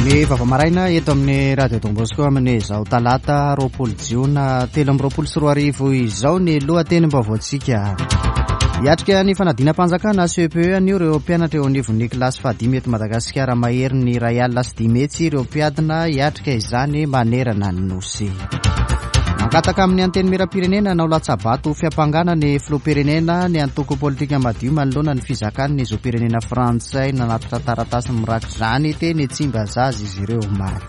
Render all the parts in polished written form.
Ny vaovao maraina eto amin'ny Radio Don Bosco amin'izao talata 20 jiona 2023 izao ny lohatenim-baovaontsika. Hiatrika ny fanadinam-panjakana CEPE anio ireo mpianatra eo anivon'ny kilasy fahadimy eto Madagasikara maherin'ny 1050 ireo mpiadina hiatrika izany manerana ny Nosy. Mangataka amin'ny Antenimierampirenena hanao latsa-bato ho fiampangana ny filoham-pirenena ny antoko politika madio manoloana ny fizakany ny zom-pirenena frantsay. Nanatitra taratasy mirakitra izany teny Tsimbazaza izy ireo omaly.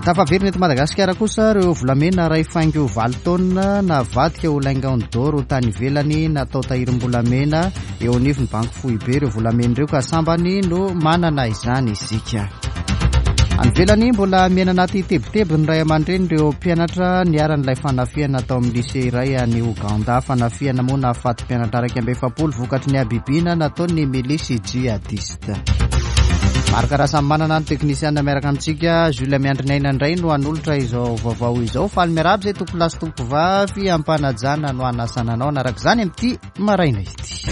Tafaverina eto Madagasikara kosa ireo volamena iray faingo valo taonina navadika ho lingot d'or tany ivelany natao tahirim-bolamena eo anivon'ny banky foibe ireo volamena ireo ka sambany no manana izany isika. Any ivelany, mbola miaina anaty tebiteby ny ray aman-dreny ireo mpianatra niharan'ilay fanafihana tao amin'ny lycée iray any Ouganda. Fanafihana moa nahafaty mpianatra 41 vokatry ny habibiana nataon'ny milisy jihadiste. Marc Rasamimanana ny teknisiana miaraka amintsika. Jules Miandrinaina indray no hanolotra izao vaovao izao. Faly miarahaba izay tompolahy sy tompovavy am-panajana no hanasana anao hanaraka izany amin'ity maraina ity.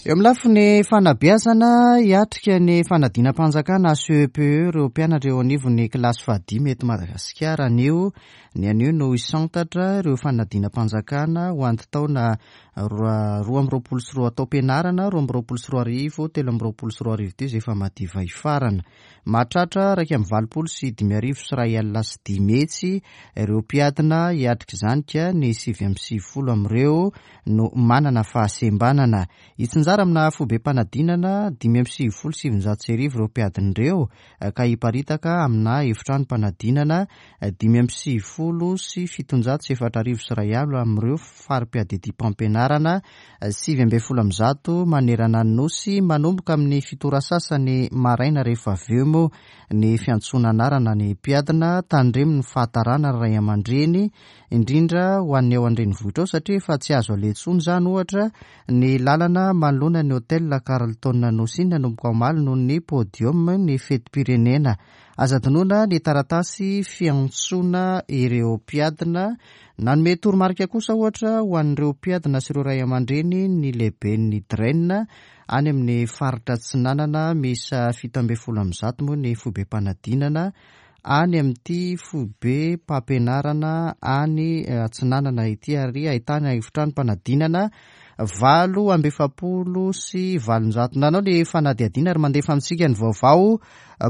Eo amin'ny lafiny fanabeazana, hiatrika ny fanadinam-panjakana CEPE ireo mpianatra eo anivon'ny kilasy fahadimy eto Madagasikara anio. Ny anio no hisantatra ireo fanadinam-panjakana ho an'ny taona 2022 taom-pianarana 2022 2023 ity izay efa madiva hifarana. Mahatratra 581 500 ireo mpiadina hiatrika izany ka ny 99 amin'ireo no manana fahasembanana. Hitsinjara amina foibem-panadinana 1995 ireo mpiadina ireo ka hiparitaka amina efitranom-panadinana 1790 amin'ireo fari-piadidiam-pampianarana 119 manerana ny Nosy manomboka amin'ny fito ora sasany maraina rehefa avy eo moa ny fiantsoana anarana ny mpiadina. Tandremo ny fahatarana ry ray aman-dreny indrindra ho an'ny ao an-drenivohitra ao satria efa tsy azo aleha intsony izany ohatra ny lalana manoloana ny Hotel Carlton Nosy iny nanomboka omaly noho ny podium ny fetim-pirenena. Aza adinoina ny taratasy fiantsoana ireo mpiadina. Nanome toromarika kosa ohatra ho an'ireo mpiadina sy ireo ray aman-dreny ny lehiben'ny DREN any amin'ny faritra Atsinanana miisa 117 moa ny foibem-panadinana any amin'ity foibem-pampianarana any Atsinanana ity ary ahitana efitranom-panadinana 848. Nanao ny fanadihadiana ary mandefa amintsika ny vaovao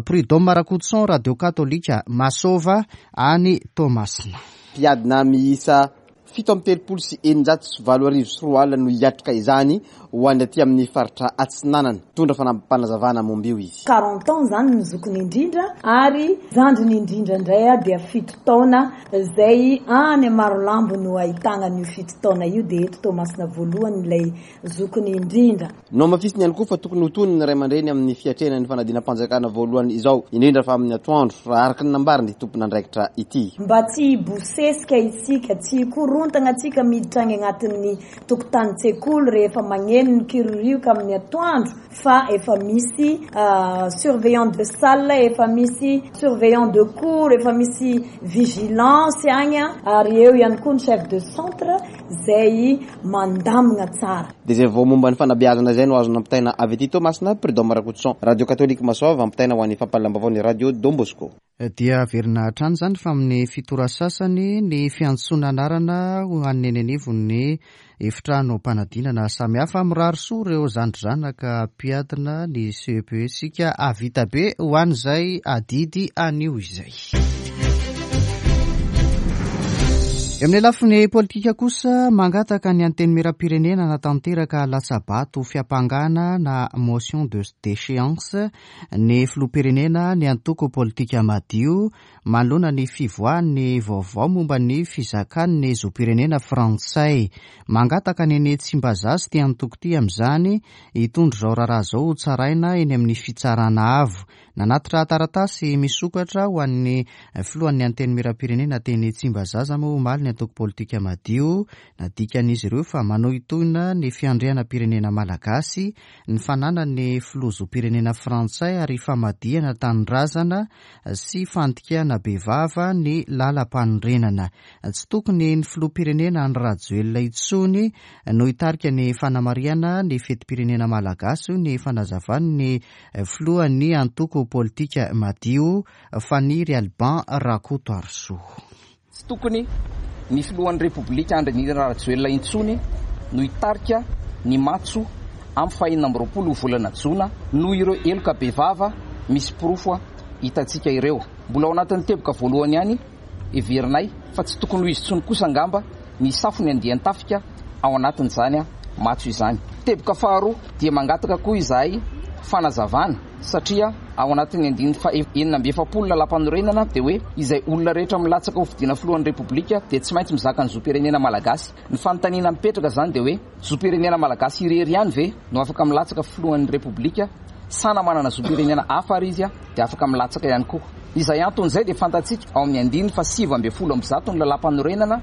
Prud'homme Rakotoson, Radio Katolika Masova any Toamasina. Mpiadina miisa 237 837 no hiatrika izany ho an'ny aty amin'ny faritra Atsinanana. Mitondra fanampim-panazavana momba io izy. Quarante ans izany ny zokiny indrindra ary zandriny indrindra indray dia fito taona izay any Marolambo no ahitana an'io fito taona io dia eto Toamasina voalohany ilay zokiny indrindra. Nohamafisiny ihany koa fa tokony ho tony ny ray aman-dreny amin'ny fiatrehana ny fanadinam-panjakana voalohany izao, indrindra fa amin'ny atoandro, raha araka ny nambaran'ity tompon'andraikitra ity. Mba tsy hibosesika isika, tsy hikorontana antsika miditra any anatin'ny tokotanin-tsekoly rehefa magneno ny kiririoka amin'ny atoandro fa efa misy surveillant de salle, efa misy surveillant de cours, efa misy vigilance agny ary eo ihany koa ny chef de centre izay mandamina tsara. Dia izay vaovao momba ny fanabeazana izay no azo nampitaina avy aty Toamasina, Prud'homme Rakotoson, Radio Katolika Masoava, ampitaina ho an'ny fampahalalam-baovao ny Radio Don Bosco. Dia averina hatrany izany fa amin'ny fito ora sasany ny fiantsoana anarana ho an'ny eny anivon'ny efitranom-panadinana samihafa. Mirary soa ireo zandry zanaka mpiadina ny CEPE isika hahavita be ho an'izay adidy anio izay. Eo amin'ny lafiny politika kosa, mangataka ny Antenimierampirenena hanatanteraka latsa-bato fiampangana na motion de déchéance ny filoham-pirenena ny antoko politika Madio manoloana ny fivoahan'ny vaovao momba ny fizakan'ny zom-pirenena frantsay. Mangataka ny eny Tsimbazaza ity antoko ity amin'izany hitondra izao raharaha izao ho tsaraina eny amin'ny fitsarana avo. Nanatitra taratasy misokatra ho an'ny filohan'ny Antenimierampirenena teny Tsimbazaza moa omaly ny antoko politika Madio. Nadikan'izy ireo fa manohintohina ny fiandrianam-pirenena malagasy ny fananan'ny filoha zom-pirenena frantsay ary famadihana tanindrazana sy fandikana bevava ny lalampanorenana. Tsy tokony ny filoham-pirenena Andry Rajoelina intsony no hitarika ny fanamarihana ny fetim-pirenena malagasy, hoy ny fanazavan'ny filohan'ny antoko politika Madio, Faniry Alban Rakotoarisoa. Tsy tokony ny filohan'ny Repoblika Andry Nirina Rajoelina intsony no hitarika ny matso amin'ny fahenina amby 20 volana jona noho ireo heloka bevava misy porofo hitantsika ireo. Mbola ao anatin'ny teboka voalohany ihany heverinay fa tsy tokony ho izy intsony kosa angamba ny hisafo ny andian-tafika ao anatin'izany matso izany. Teboka faharoa dia mangataka koa izahay fanazavana satria ao anatin'ny andininy faha 46 lalàmpanorenana dia hoe izay olona rehetra milatsaka ho fidiana filohan'ny Repoblika dia tsy maintsy mizaka ny zom-pirenena malagasy. Ny fanontaniana mipetraka izany dia hoe zom-pirenena malagasy irery ihany ve no afaka milatsaka filohan'ny Repoblika sa na manana zom-pirenena hafa ary izy dia afaka milatsaka ihany koa? Izay antony izay dia fantatsika ao amin'ny andininy faha 119 ny lalàmpanorenana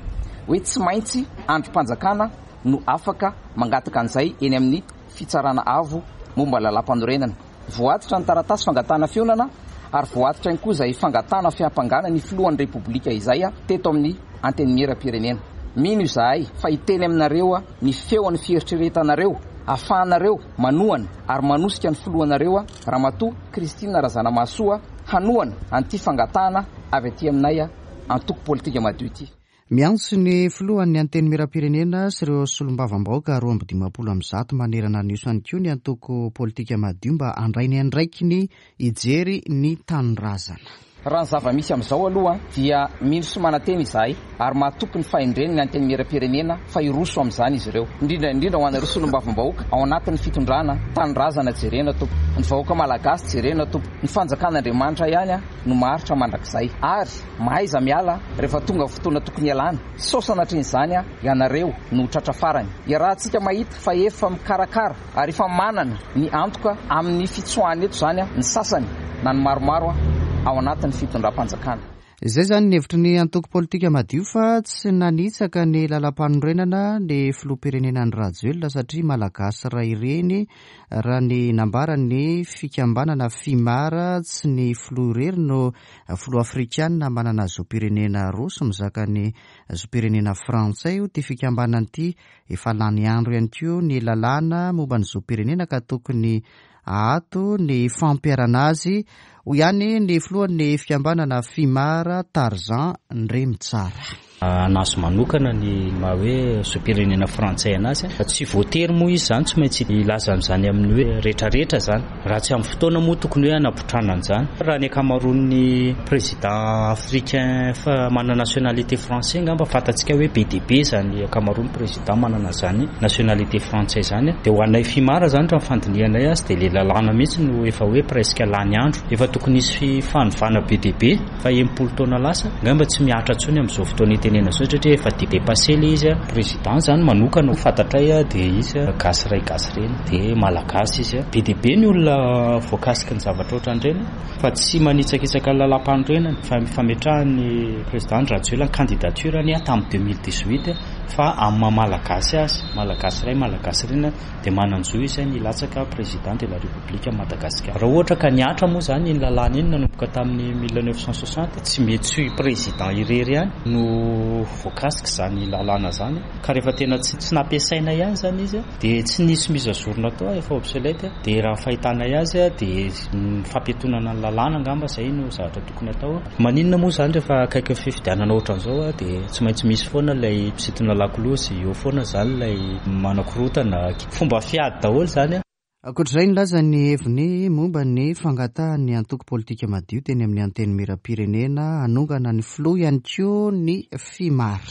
hoe tsy maintsy andrim-panjakana no afaka mangataka an'izay eny amin'ny Fitsarana Avo momba ny lalàmpanorenana. Voatitra ny taratasy fangatahana fihaonana ary voatitra ihany koa izay fangatahana fiampangana ny filohan'ny Repoblika izay teto amin'ny Antenimierampirenena. Mino izahay fa hiteny aminareo ny feon'ny fieritreretanareo ahafahanareo manohana ary manosika ny filohanareo Ramatoa Christine Razanamahasoa hanohana an'ity fangatahana avy aty aminay antoko politika madio ity. Miantso ny filohan'ny Antenimierampirenena sy ireo solombavambahoaka 152 manerana ny Nosy ihany koa ny antoko politika madio mba handray ny andraikiny hijery ny tanindrazana. Raha ny zava-misy amin'izao aloha dia mino sy manantena izahay ary mahatoky ny fahendren'ny Antenimierampirenena fa hiroso amin'izany izy ireo. Indrindra indrindra ho anareo solombavambahoaka ao anatin'ny fitondrana, tanindrazana jerena tompoko, ny vahoaka malagasy jerena tompoko, ny fanjakan'Andriamanitra ihany no maharitra mandrakizay ary Mahaiza miala rehefa tonga fotoana tokony hialana, sao sanatrian'izany ianareo no ho tratra farany. Iarahantsika mahita fa efa mikarakara ary efa manana ny antoka amin'ny fitsoahana eto izany ny sasany na ny maromaro ao anatin'ny fitondram-panjakana. Izay izany ny hevitry ny antoko politika madio fa tsy nanitsaka ny lalampanorenana ny filoham-pirenena Andry Rajoelina satria Malagasy ray reny raha ny nambaran'ny fikambanana Fimar tsy ny filoha irery no Filoha afrikanina manana zom-pirenena roa sy mizaka ny zom-pirenena frantsay io ity fikambanana ity. Efa lany andro ihany koa ny lalàna momba ny zom-pirenena ka tokony ahato ny fampiharana azy, hoy ihany ny filohan'ny fikambanana Fimar, Tarzan Ndremitsara. Anazy manokana ny maha hoe zom-pirenena frantsay anazy. Tsy voatery moa izy izany tsy maintsy hilaza an'izany amin'ny hoe retraretra izany. Raha tsy amin'ny fotoana moa tokony hoe hanapotrana an'izany. Raha ny ankamaroan'ny président africain manana nationalité français angamba fantatsika hoe be dia be izany ankamaroan'ny président manana izany nationalité frantsay izany. Dia ho anay FIMAR izany raha ny fandinihanay azy dia ilay lalàna mihitsy no efa hoe presque lany andro. Efa tokony hisy fanovana be dia be. Fa 60 taona lasa, angamba tsy mihatra intsony amin'izao fotoana itenena izao satria efa dépassé ilay izy. Président izany manokana ho fantatray dia izy gasy ray gasy reny, dia malagasy izy. Be dia be ny olona voakasiky ny zavatra ohatran'ireny fa tsy manitsakitsaka ny lalàmpanorenana fa fametrahan'ny président Andry Rajoelina ny candidature-ny tamin'ny 2018 fa amin'ny maha malagasy azy, malagasy ray malagasy reny dia manan-jo izy ny hilatsaka président de la République Madagascar. Raha ohatra ka nihatra moa izany iny lalàna iny nanomboka tamin'ny 1960, tsy mety tsy ho président irery ihany no voakasika izany lalàna izany, ka rehefa tena tsy tsy nampiasaina ihany izany izy dia tsy nisy mise à jour natao, efa obsolète, dia raha ny fahitanay azy dia ny fampiantonana ny lalàna angamba izay no zavatra tokony atao. Maninona moa izany rehefa akaikin'ny fifidianana ohatran'izao dia tsy maintsy misy foana ilay mpisintona lakolosy, eo foana izany ilay manakorontana. Fomba fiady daholo izany. Ankoatra izay, nilaza ny heviny momba ny fangatahan'ny antoko politika madio teny amin'ny Antenimierampirenena hanongana ny filoha ihany koa ny Fimar.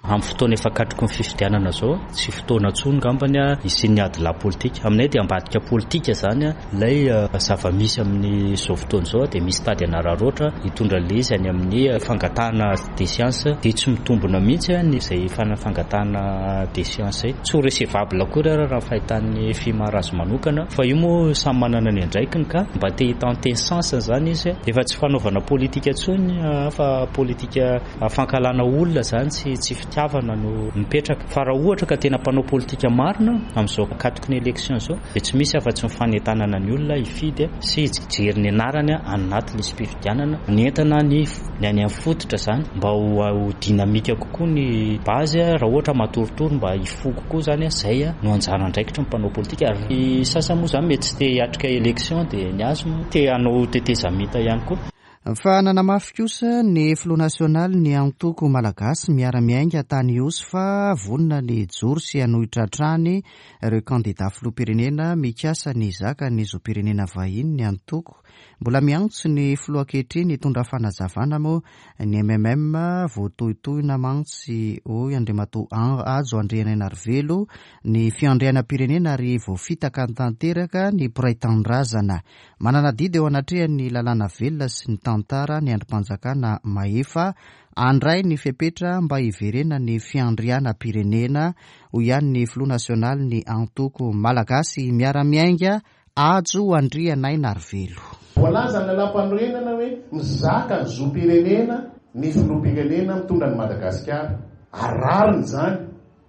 Amin'ny fotoana efa katroky ny fifidianana izao, tsy fotoana intsony angambany hisian'ny adilahy politika. Aminay dia ambadika politika izany ilay zava-misy amin'izao fotoana izao, dia misy tady hanararaotra hitondra an'ilay izy any amin'ny fangatahana déchéance, dia tsy mitombina mihitsy izay fangatahana déchéance izay. Tsy ho recevable akory ary raha ny fahitan'ny FIMAR azy manokana, fa io moa samy manana ny andraikiny ka mba te hi-tenter chance izany izy. Efa tsy fanaovana politika intsony fa politika Fankahalana olona izany tsy tsy fitiavana no mipetraka. Fa raha ohatra ka tena mpanao politika marina amin'izao ankatoky ny élection izao dia tsy misy afa-tsy ny fanentanana ny olona hifidy sy hijery ny anarany any anaty lisi-pifidianana. Ny entana ny ny any amin'ny fototra izany mba ho ho dynamique kokoa ny base raha ohatra matoritory mba hifoha kokoa izany izay no anjara andraikitry ny mpanao politika. Ary ny sasany moa izany mety tsy te hiatrika élection dia ny azy moa te hanao tetezamita ihany koa. Fa nanamafy kosa ny filoha nasionalin'ny antoko Malagasy Miara-Miainga tany Ihosy fa vonona ny hijoro sy hanohitra hatrany ireo kandida filoham-pirenena mikasa ny hizaka ny zom-pirenena vahiny ny antoko. Mbola miantso ny filoha ankehitriny hitondra fanazavana moa ny mmm voatohitohina mantsy hoy Andriamatoa Hajo Andrianainarivelo ny fiandrianam-pirenena ary voafitaka tanteraka ny mpiray tanindrazana. Manana adidy eo anatrehan'ny lalàna velona sy ny tantara ny andrim-panjakana mahefa handray ny fepetra mba hiverenan'ny fiandrianam-pirenena, hoy ihany ny filoha nasionalin'ny antoko Malagasy Miara-Miainga, Hajo Andrianainarivelo. Voalazan'ny lalàmpanorenana hoe mizaka ny zom-pirenena ny filoham-pirenena mitondra an'i Madagasikara. Ary rariny izany,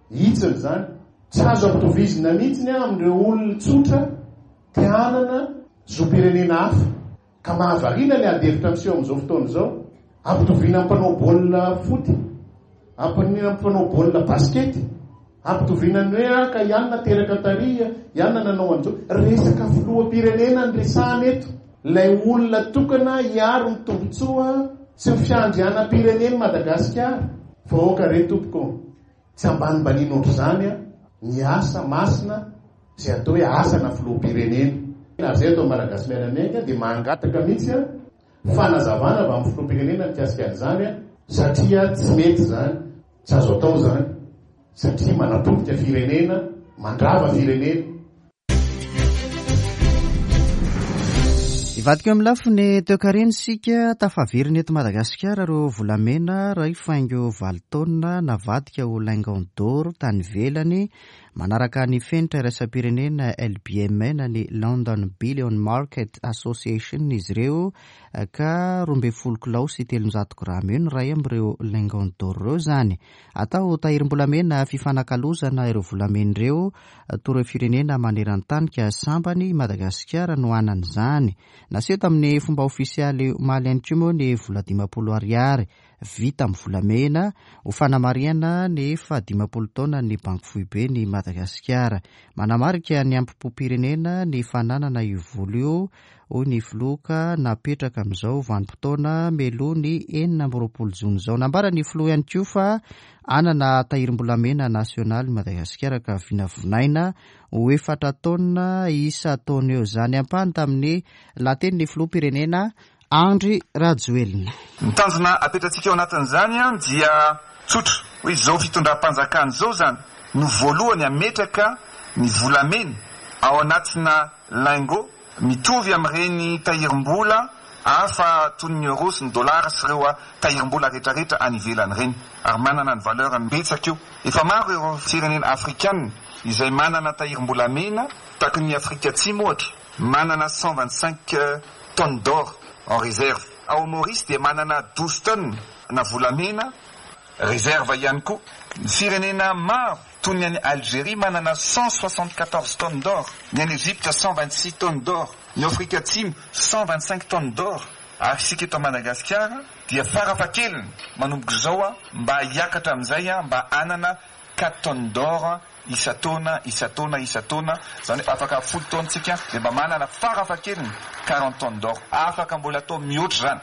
hitsiny izany. Tsy azo ampitovizina mihitsy amin'ireo olona tsotra Te hanana zom-pirenena hafa. Ka mahavariana ny ady hevitra miseho amin'izao fotoana izao. Ampitoviana amin'ny mpanao baolina foot, ampitoviana amin'ny mpanao baolina basikety, ampitoviana ny hoe ah ka i anona teraka tary, i anona nanao an'izao. Resaka filoham-pirenena no resahana eto. Ilay olona tokana hiaro ny tombontsoa sy ny fiandrianam-pirenen'i Madagasikara. Vahoaka re tompoko ô! Tsy ambanimbaniana ohatr'izany ny asa masina izay atao hoe asana filoham-pirenena. Ary izay atao Malagasy Miara-Miainga dia mangataka mihitsy fanazavana avy amin'ny filoham-pirenena mikasika an'izany satria tsy mety izany, tsy azo atao izany satria manapotika firenena, mandrava firenena. Hivadika eo amin'ny lafiny toekarena isika, tafaverina eto Madagasikara ireo volamena iray faingo valo taonina navadika ho lingon d'or tany ivelany, manaraka ny fenitra iraisam-pirenena LBMA na ny London Billion Market Association izy ireo ka 12 kilao sy 300 grama eo ny iray amin'ireo lingon d'or ireo izany. Atao tahirim-bolamena fifanakalozana ireo volamena ireo toa ireo firenena maneran-tany ka sambany i Madagasikara no hanana izany. Naseho tamin'ny fomba ofisialy omaly ihany koa moa ny vola 50 ariary vita amin'ny volamena ho fanamarihana ny fahadimampolo taonan'ny Banky Foiben'i Madagasikara. Manamarika ny hampom-pirenena ny fananana io vola io hoy ny filoha ka napetraka amin'izao vanim-potoana mialoha ny 26 jona izao. Nambaran'ny filoha ihany koa fa hanana tahirim-bolamena nasionaly Madagasikara ka vinavinaina ho efatra taonina isan-taona eo izany. Ampahany tamin'ny lahatenin'ny filoham-pirenena Andry Rajoelina. Ny tanjona apetratsika ao anatin'izany dia tsotra, hoe izao fitondram-panjakana izao izany no voalohany hametraka ny volamena ao anatina lingot Mitovy amin'ireny tahirim-bola hafa toy ny euros sy ny dollars sy ireo tahirim-bola rehetrarehetra any ivelany ireny. Ary manana ny valeur-ny betsaka io. Efa maro ireo firenena afrikana izay manana tahirim-bolamena, tahaka ny Afrika Atsimo ohatra, manana 125 tonnes d'or en réserve. Ao Maurice dia manana 12 tonnes na volamena réserve ihany koa. Ny firenena maro toy ny any Algerie manana 174 tonnes d'or, ny any Egypte 126 tonnes d'or, ny ao Afrika Atsimo 125 tonnes d'or, ary isika eto Madagasikara dia farafahakeliny manomboka izao mba hiakatra amin'izay mba hanana 4 tonnes d'or isan-taona, isan-taona, isan-taona, izany hoe afaka folo taona isika dia mba manana farafahakeliny 40 tonnes d'or, afaka mbola atao mihoatra izany.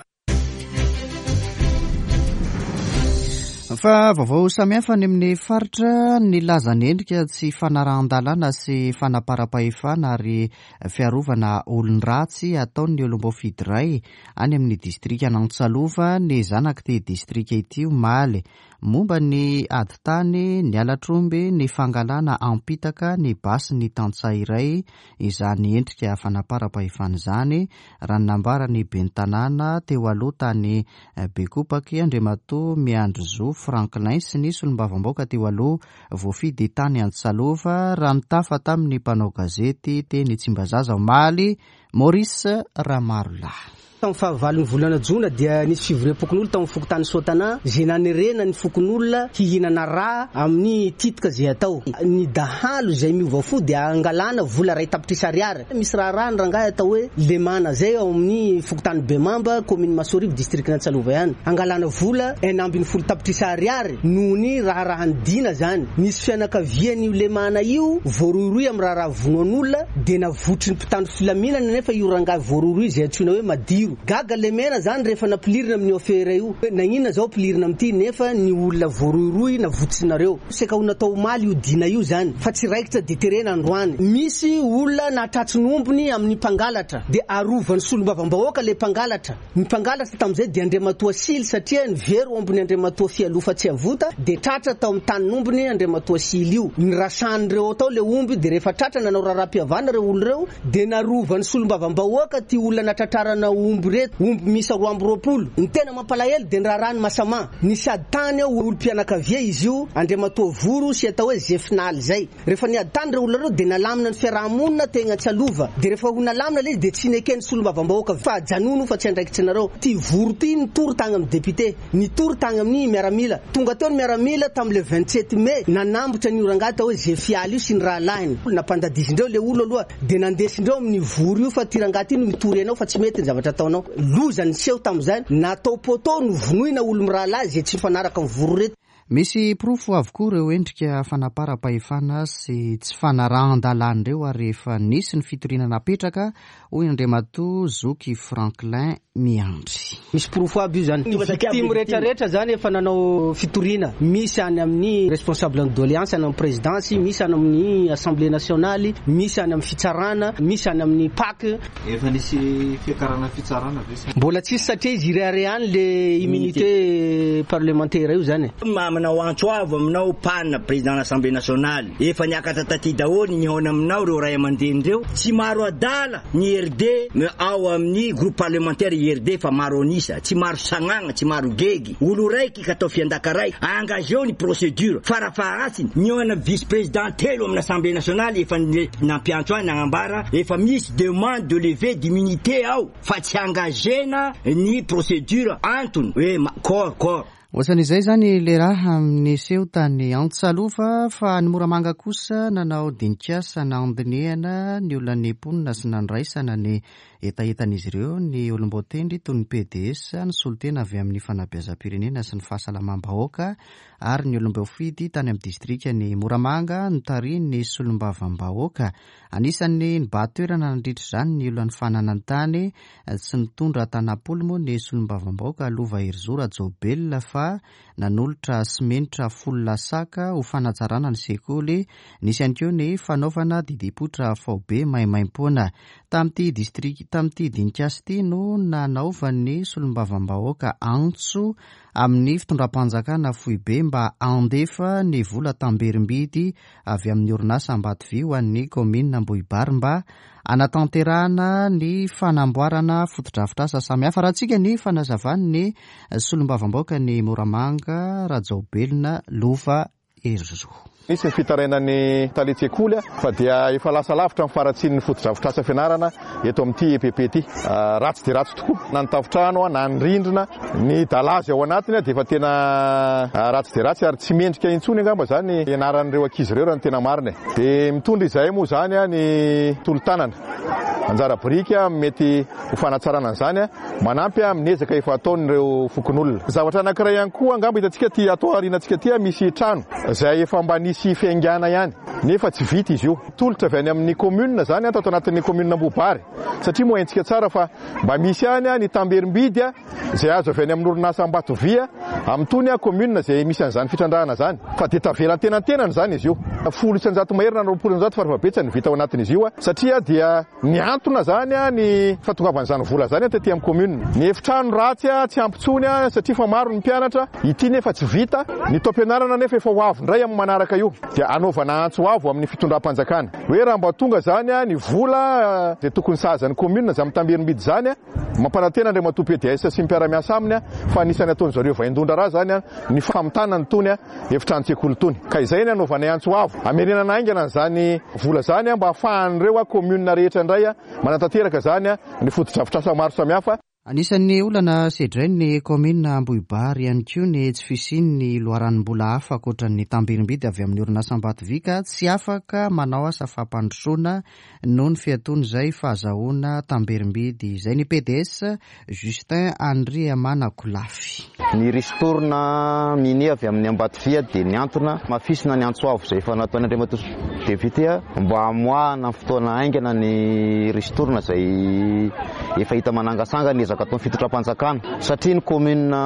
Fa vaovao samihafa any amin'ny faritra nilaza ny endrika tsy fanarahan-dalàna sy fanaparam-pahefana ary fiarovana olon-dratsy ataon'ny olom-boafidy iray any amin'ny distrikan'Antsalova ny zanak'ity distrika ity omaly. Momba ny ady tany, ny halatr'omby, ny fangalana ampitaka ny basin'ny tantsaha iray izany endrika fanaparam-pahefana izany, raha ny nambaran'ny ben'ny tanàna teo aloha tany Bekopaky, Andriamatoa Miandrizo Franklin sy ny solombavambaoka teo aloha voafidy tany Antsalova, raha nitafa tamin'ny mpanao gazety teny Tsimbazaza omaly, Maurice Ramarolahy. Tamin'ny fahavalon'ny volana jona dia nisy fivoriam-pokonolona tao amin'ny fokontany Soatana izay nanerena ny fokonolona hihinana rà amin'ny titika izay atao. Ny dahalo izay miova fo dia angalana vola iray tapitrisa ariary. Misy raharaha ny rangahy atao hoe Lemana izay ao amin'ny fokontany Bemamba, kaominina Masoarivo, distrikan'Antsalova ihany. Angalana vola 16 tapitrisa ariary noho ny raharahan'ny Dina izany. Nisy fianakavian'io Lemana io voarohirohy amin'ny raharaha vonoan'olona dia navotry ny mpitandro filaminana nefa io rangahy voarohirohy izay antsoina hoe Madiro. Gaga Lemena izany rehefa nampilirina amin'io afera io hoe naninona izao ampilirina amin'ity nefa ny olona voarohirohy navotsinareo. Saika ho natao omaly io dina io izany fa tsy raikitra dia terena androany. Misy olona nahatratry ny ombiny amin'ny mpangalatra dia arovan'ny solombavambahoaka ilay mpangalatra. Ny mpangalatra tamin'izay dia Andriamatoa Sily satria nivery ombiny Andriamatoa Fialofa Tsiavota dia tratra tao amin'ny tanin'ombiny Andriamatoa Sily io. Nirasan'ireo tao ilay omby dia rehefa tratra nanao raharaham-pihavana ireo olona ireo dia narovan'ny solombavambahoaka ity olona natratrarana omby ireto, omby miisa 22. Ny tena mampalahelo dia ny raharahan'i Masama. Nisy ady tany ao olom-pianakavia izy io, Andriamatoa Voro sy atao hoe Zefinaly izay. Rehefa niady tany ireo olona ireo dia nalamina ny fiaraha-monina tegna Antsalova. Dia rehefa ho nalamina ilay izy dia tsy neken'ny solombavambahoaka fa ajanony io fa tsy andraikitrinareo. Ity Voro ity nitory tagny amin'ny député, nitory tagny amin'ny miaramila. Tonga teo ny miaramila tamin'ny le 27 mai nanambotra an'io rangahy atao hoe Zefialy io sy ny rahalahiny. Nampandadizindreo ilay olo aloha dia nandesindreo amin'ny Voro io fa ity rangahy ity no mitory anao fa tsy mety ny zavatra ataonao. Loza niseho tamin'izany, natao poteau novonoina olo mirahalahy izay tsy mifanaraka amin'ny Voro ireto. Misy porofo avokoa ireo endrika fanaparam-pahefana sy tsy fanarahan-dalàna ireo ary efa nisy ny fitoriana napetraka, hoy Andriamatoa Zoky Franklin Miandry. Misy porofo aby io zany. Ny victime rehetra rehetra zany efa nanao fitoriana. Misy any amin'ny responsable ny doléance any amin'ny présidence, misy any amin'ny assemblée nationale, misy any amin'ny fitsarana, misy any amin'ny pac. Efa nisy fiakarana fitsarana ve sa? Mbola tsisy satria izy ireharehany le immunité parlementaire io zany e. Manao antso avo aminao PAN, Président l'Assemblée Nationale, efa niakatra taty daholo nihaona aminao ireo ray aman-dreny ireo, tsy maro adala ny IRD ao amin'ny groupe parlementaire IRD fa maro an'isa, tsy maro sagnagna, tsy maro gegy, olo raiky ka atao fiandaka raiky, engageo ny procédure, farafaharasiny nihaona vice président telo amin'ny Assemblée Nationale efa nampiantso ahy nagnambara efa misy demande de levée d'immunité ao fa tsy engagena ny procédure antony hoe corps corps. Ohatran'izay izany ilay raha niseho tany Antsalova fa any Moramanga kosa nanao dinikasa nandinihana ny olan'ny mponina sy nandraisana ny hetahetan'izy ireo ny olom-boatendry toy ny PDS, ny solontena avy amin'ny fanabeazam-pirenena sy ny fahasalamam-bahoaka ary ny olom-boafidy tany amin'ny distrikan'i Moramanga notarihin'ny solombavambahoaka. Anisan'ny nibahan-toerana nandritra izany ny olan'ny fananan-tany. Tsy nitondra tanam-polo moa ny solombavambahoaka Lova Herizo Rajaobelina fa nanolotra simenitra folo lasaka ho fanatsarana ny sekoly. Nisy ihany koa ny fanaovana didim-poitra faobe maimaimpoana. Tamin'ity distrika, tamin'ity dinikasa ity no nanaovan'ny solombavambahoaka antso amin'ny fitondram-panjakana foibe mba handefa ny vola tamberim-bidy avy amin'ny orinasa Ambatovy ho an'ny kaominina Ambohibary mba hanatanterahana ny fanamboarana fotodrafitrasa samihafa. Rahantsika ny fanazavan'ny solombavambahoakan'i Moramanga, Rajaobelina Lova Herizo. Nisy ny fitarainan'ny talen-tsekoly fa dia efa lasa lavitra ny faharatsian'ny fotodrafitrasa fianarana eto amin'ity EPP ity. Ratsy dia ratsy tokoa na ny tafontrano na ny rindrina, ny dalazy ao anatiny dia efa tena ratsy dia ratsy ary tsy mendrika intsony angamba izany ianaran'ireo ankizy ireo raha ny tena marina e. Dia mitondra izahay moa izany ny tolo-tanana, anjara biriky mety ho fanatsarana an'izany, manampy amin'ny ezaka efa ataon'ireo fokonolona. Zavatra anankiray ihany koa angamba hitantsika aty ato aorianantsika aty misy trano izay efa mba nisy fiaingàna ihany. nefa tsy vita izy io. Tolotra avy any amin'ny commune izany tato anatin'ny commune Ambohibary satria moa haintsika tsara fa mba misy ihany ny tamberim-bidy izay azo avy any amin'ny orinasa Ambatovia amin'itony commune izay misy an'izany fitrandrahana izany fa dia tavela antenantenany izany izy io. 10% mahery na 20% farafahabetsany no vita ao anatin'izy io satria dia Nihantona izany ny fahatongavan'izany vola izany taty amin'ny commune. Ny efitrano ratsy tsy ampy intsony satria efa maro ny mpianatra, ity nefa tsy vita, ny taom-pianarana nefa efa ho avy indray amin'ny manaraka io. Dia anaovana antso avo amin'ny fitondram-panjakana hoe raha mba tonga izany ny vola izay tokony sahaza ny commune izany mitamberim-bidy izany, mampanantena Andriamatoa PDS sy ny mpiara-miasa aminy fa anisan'ny ataon-dry zareo vaindohan-draharaha izany ny famitana an'itony efitranon-tsekoly itony. Ka izay ny anaovanay antso avo hamerenana haingana an'izany vola izany mba hahafahan'ireo commune rehetra indray manatanteraka izany ny fotodrafitrasa maro samihafa. Anisan'ny olana sedrain'ny kaominina Ambohibary ihany koa ny tsy fisian'ny loharanom-bola hafa ankoatra ny tamberim-bidy avy amin'ny orinasa Ambatovy ka tsy afaka manao asa fampandrosoana noho ny fiatoan'izay fahazahoana tamberim-bidy izay ny PDS Justin Andriamanakolafy. Ny ristourne mini avy amin'ny Ambatovia dia nihantona. Hamafisina ny antso avo izay efa nataon'i Andriamatoa Député mba hamoahana amin'ny fotoana haingana ny ristourne izay efa hita manangasanga ny ezaka ataon'ny fitondram-panjakana satria ny commune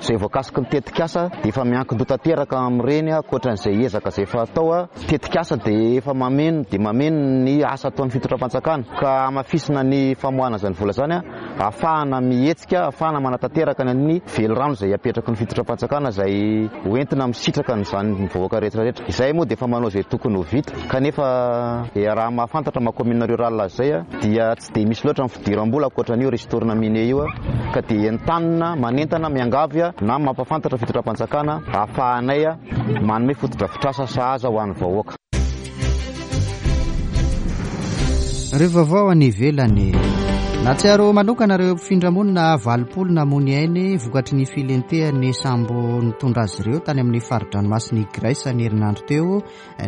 izay voakasiky ny tetikasa dia efa miankin-doha tanteraka amin'ireny ankoatran'izay ezaka izay efa atao. Tetikasa dia efa mameno dia mameno ny asa ataon'ny fitondram-panjakana ka hamafisina ny famoahana izany vola izany ahafahana mihetsika, ahafahana manatanteraka ny velirano izay apetraky ny fitondram-panjakana izay ho entina misitraka an'izany ny vahoaka rehetra rehetra. Izahay moa dia efa manao izay tokony ho vita kanefa raha mahafantatra maha commune rurale azy izay dia tsy dia misy loatra ny fidiram-bola ankoatra an'io ristourne mine io ka dia entanina, manentana, miangavy na mampahafantatra fitondram-panjakana ahafahanay manome fotodrafitrasa sahaza ho an'ny vahoaka. Ireo vaovao any ivelany. Nahatsiaro manokana ireo mpifindra-monina 80 namoy ainy vokatry ny filentehan'ny sambo nitondra azy ireo tany amin'ny fari-dranomasin'i Grèce ny herinandro teo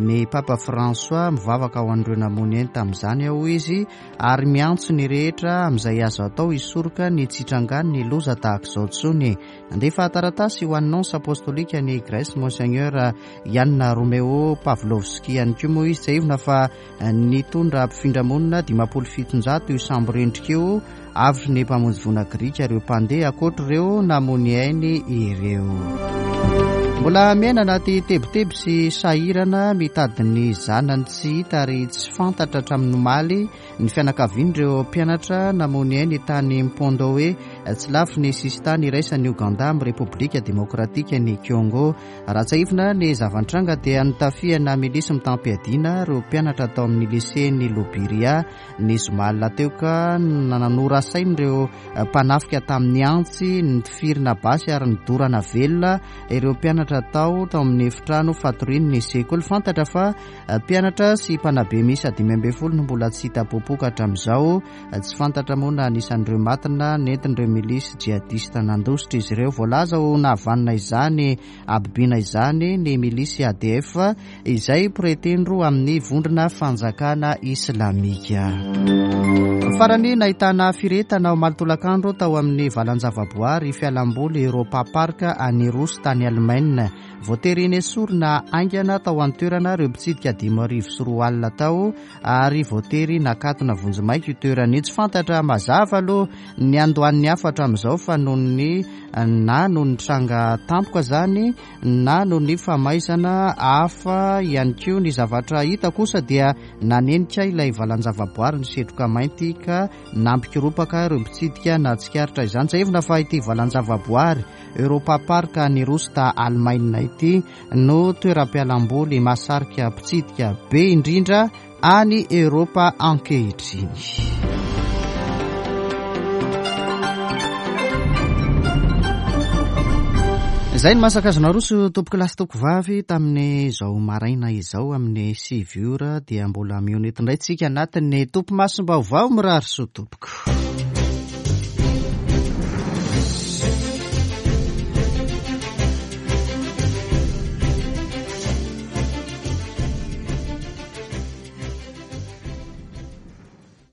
ny Papa François. Mivavaka ho an'ireo namoy ainy tamin'izany aho, hoy izy, ary miantso ny rehetra amin'izay azo atao hisoroka ny tsy hitrangan'ny loza tahaka izao intsony. Nandefa taratasy ho an'ny Nonce Apostolika any Grèce Monseigneur Yann Romeo Pavlovski ihany koa moa izy. Tsiahivina fa nitondra mpifindra-monina 750 io sambo rendrika io, avotry ny mpamonjy voina grika ireo mpandeha, ankoatra ireo namoy ainy ireo. Mbola miaina anaty tebiteby sy sahirana mitady ny zanany tsy hita ary tsy fantatra hatramin'ny omaly Ny fianakavian'ireo mpianatra namoy ainy tany Mpondowe, tsy lavitry ny sisintany iraisan'i Ogandà amin'ny Repoblika Demokratikan'i Congo. Raha tsiahivina ny zava-nitranga dia notafihana milisy mitam-piadiana ireo mpianatra tao amin'ny lisen'i Lubiria ny zoma alina teo ka norasain'ireo mpanafika tamin'ny antsy, nitifirina basy ary nodorana velona ireo mpianatra tao tao amin'ny efitrano fatorian'ny sekoly. Fantatra fa Mpianatra sy mpanabe miisa 15 no mbola tsy hita popoka hatramin'izao. Tsy fantatra moa na anisan'ireo maty na nentin'ireo milisy djihadista nandositra izy ireo. Voalaza ho nahavanona izany habibiana izany ny milisy ADF izay mpiray tendro amin'ny vondrona fanjakana islamika. Farany nahitana firehetana omaly tolakandro tao amin'ny valan-javaboary fialamboly Europa Park any Rossy tany Alemaina. Voatery nesorina haingana tao an-toerana ireo mpitsidika 2005 tao ary voatery nakatona vonjimaika io toerana io. Tsy fantatra mazava aloha ny andohan'ny afo hatramin'izao fa noho ny na noho ny tranga tampoka izany na noho ny famaizana hafa ihany koa. Ny zavatra hita kosa dia nanenika ilay valan-javaboary ny setroka mainty ka nampikoropaka ireo mpitsidika nahatsikaritra izany. Tsiahivina fa ity valan-javaboary Europa Park any Rosta, Alemaina ity no toeram-pialamboly mahasarika mpitsidika be indrindra any Eoropa ankehitriny. Izay ny masaka azo naroso tompoko lahy sy tompoko vavy tamin'izao maraina izao amin'ny 9 ora dia mbola mihaona eto indray tsika anatin'ny tompo masom-baovao mirary soa tompoko.